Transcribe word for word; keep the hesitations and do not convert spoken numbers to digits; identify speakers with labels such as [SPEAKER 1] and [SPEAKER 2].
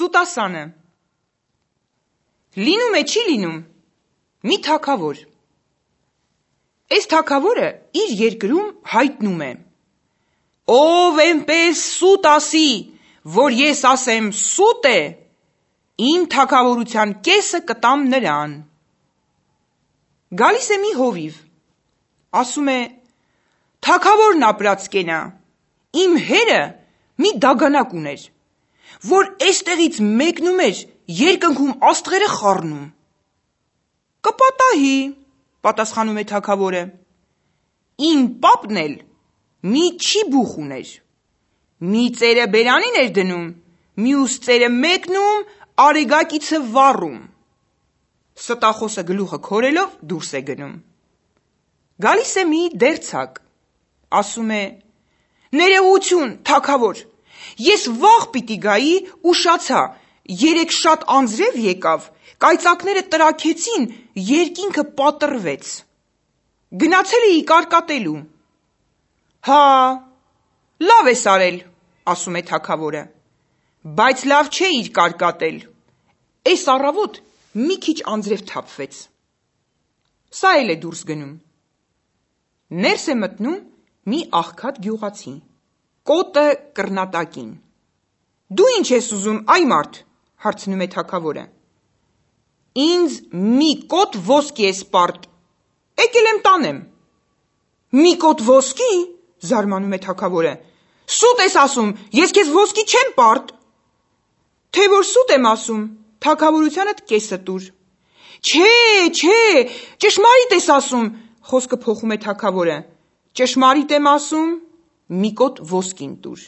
[SPEAKER 1] Սուտասանը։ Լինում է չի լինում մի թագավոր։ Այս թագավորը իր երկրում հայտնում է. ով էնպես սուտ ասի, որ ես ասեմ սուտ է, իմ թագավորության կեսը կտամ նրան։ Գալիս է մի հովիվ, ասում է. թագավորն ապրած կենա, իմ հերը մի դագանակ ուներ, որ էստեղից մեկնում էր երկնքում աստղերը խառնում։ Կպատահի, պատասխանում է թագավորը, իմ պապն էլ մի չիբուխ ուներ, մի ծերը բերանին էր դնում, մյուս ծերը մեկնում արեգակիցը վառում։ Ստախոսը գլուխը քորելով դուրս է գնում։ Գալիս է մի դերձակ, ասում է. ներողություն, թագավոր, ես վաղ պիտի գայի, ուշացա, երեկ շատ անձրև եկավ, կայծակները տրաքեցին, երկինքը պատռվեց։ Գնացել էի կարկատելու։ Հա, լավ ես արել, ասում է թագավորը, բայց լավ չէիր կարկատել, էս առավոտ մի քիչ անձրև թափվեց։ Սա էլ է դուրս գնում։ Ներս է մտնում մի աղքատ գյուղացի, կոտը կռնատակին։ Դու ինչ ես ուզում, այ մարդ, հարցնում է թագավորը։ Ինձ մի կոտ ոսկի ես պարտ, եկել եմ տանեմ։ Մի կոտ ոսկի, զարմանում է թագավորը, սուտ ես ասում, ես քեզ ոսկի չեմ պարտ։ Թե որ սուտ եմ ասում, թագավորությանդ կեսը տուր։ Չէ, չէ, ճշմարիտ ես ասում, խոսքը փոխում է թագավորը, ճշմարիտ եմ ասում, մի կոտ ոսկին տուր։